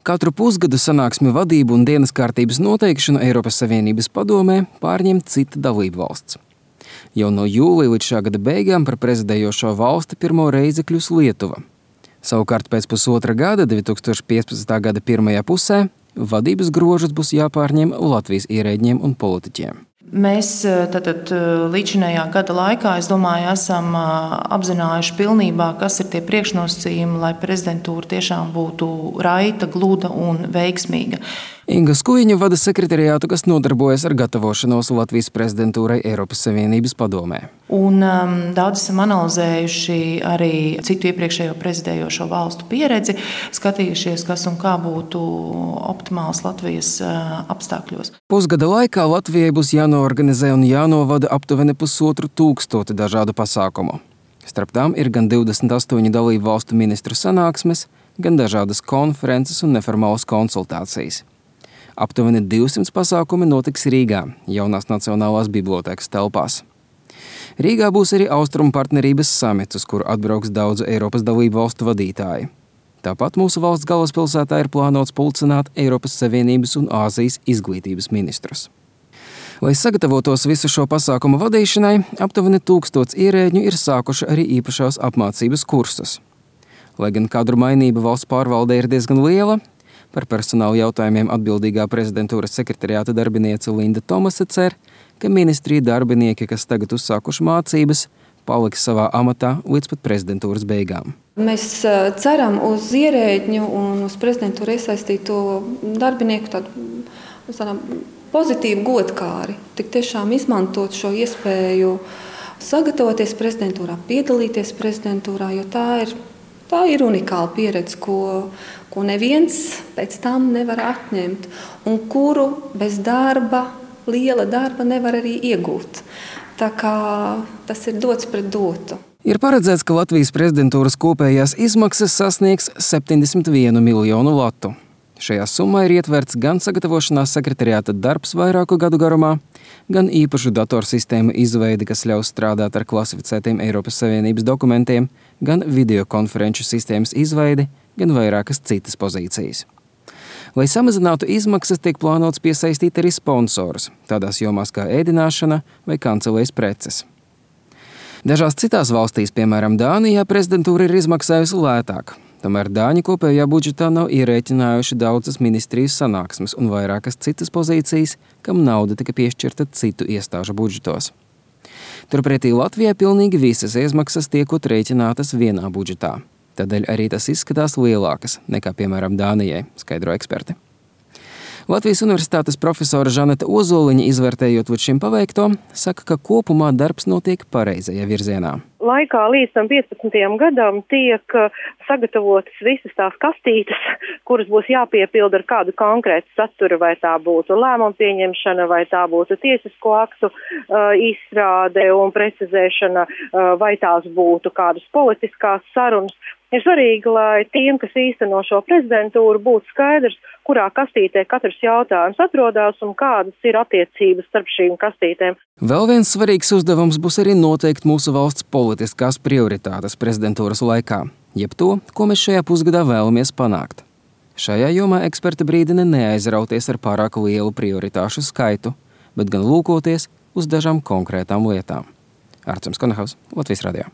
Katru pusgadu sanāksmi vadību un dienas kārtības noteikšanu Eiropas Savienības padomē pārņem cita dalību valsts. Jau no jūlija līdz šā gada beigām par prezidējošo valsti pirmo reizi kļūs Lietuva. Savukārt pēc pusotra gada, 2015. gada pirmajā pusē, vadības grožus būs jāpārņem Latvijas ierēģiem un politiķiem. Mēs tātad līdzinējā gada laikā, es domāju, esam apzinājuši pilnībā, kas ir tie priekšnosacījumi, lai prezidentūra tiešām būtu raita, gluda un veiksmīga. Inga Skujiņa vada sekretariātu, kas nodarbojas ar gatavošanos Latvijas prezidentūrai Eiropas Savienības padomē. Un daudz esam analizējuši arī citu iepriekšējo prezidējošo valstu pieredzi, skatījušies, kas un kā būtu optimāls Latvijas apstākļos. Pusgada laikā Latvijai būs jānoorganizē un jānovada aptuveni 1500 dažādu pasākumu. Starp tām ir gan 28 dalību valstu ministru sanāksmes, gan dažādas konferences un neformālas konsultācijas. Aptuveni 200 pasākumi notiks Rīgā, jaunās Nacionālās bibliotēkas telpās. Rīgā būs arī Austrumu partnerības samits, uz kuru atbrauks daudzu Eiropas dalību valstu vadītāji. Tāpat mūsu valsts galvaspilsētā ir plānots pulcināt Eiropas Savienības un Āzijas izglītības ministrus. Lai sagatavotos visu šo pasākumu vadīšanai, aptuveni 1000 ierēģņu ir sākuši arī īpašās apmācības kursus. Lai gan kadru mainība valsts pārvaldē ir diezgan liela, par personāla jautājumiem atbildīgā prezidentūras sekretariāta darbiniece Linda Tomase cer, ka ministrija darbinieki, kas tagad uzsākuši mācības, paliks savā amatā līdz pat prezidentūras beigām. Mēs ceram uz ierēģņu un uz prezidentūru iesaistīto darbinieku tādu pozitīvu godkāri. Tik tiešām izmantot šo iespēju sagatavoties prezidentūrā, piedalīties prezidentūrā, jo tā ir unikāla pieredze, ko neviens pēc tam nevar atņemt un kuru bez darba, liela darba nevar arī iegūt. Tā kā tas ir dots pret dotu. Ir paredzēts, ka Latvijas prezidentūras kopējās izmaksas sasniegs 71 miljonu latu. Šajā summā ir ietverts gan sagatavošanās sekretariāta darbs vairāku gadu garumā, gan īpašu datorsistēmu izveidi, kas ļaus strādāt ar klasificētiem Eiropas Savienības dokumentiem, gan videokonferenču sistēmas izveidi, gan vairākas citas pozīcijas. Lai samazinātu izmaksas, tiek plānots piesaistīt arī sponsorus, tādās jomās kā ēdināšana vai kancelējas preces. Dažās citās valstīs, piemēram Dānijā, prezidentūra ir izmaksājusi lētāk. Tomēr Dāņi kopējā budžetā nav ierēķinājuši daudzas ministrijas sanāksmes un vairākas citas pozīcijas, kam nauda tika piešķirta citu iestāžu budžetos. Turpretī Latvijā pilnīgi visas izmaksas tiekot rēķinātas vienā budžetā. Tādēļ arī tas izskatās lielākas nekā, piemēram, Dānijai, skaidro eksperti. Latvijas Universitātes profesora Žaneta Ozoliņa, izvērtējot līdz šim paveikto, saka, ka kopumā darbs notiek pareizajā virzienā. Laikā līdz tam 15. gadam tiek sagatavotas visas tās kastītes, kuras būs jāpiepilda ar kādu konkrētu saturu, vai tā būtu lēmumu pieņemšana, vai tā būtu tiesisko aktu izstrāde un precizēšana, vai tās būtu kādas politiskās sarunas. Ir svarīgi, lai tiem, kas īsteno šo prezidentūru, būtu skaidrs, kurā kastītē katrs jautājums atrodas un kādas ir attiecības starp šīm kastītēm. Vēl viens svarīgs uzdevums būs arī noteikt mūsu valsts politiskās prioritātes prezidentūras laikā, jeb to, ko mēs šajā pusgadā vēlamies panākt. Šajā jomā eksperti brīdina neaizrauties ar pārāk lielu prioritāšu skaitu, bet gan lūkoties uz dažām konkrētām lietām. Arturs Konehaus, Latvijas radio.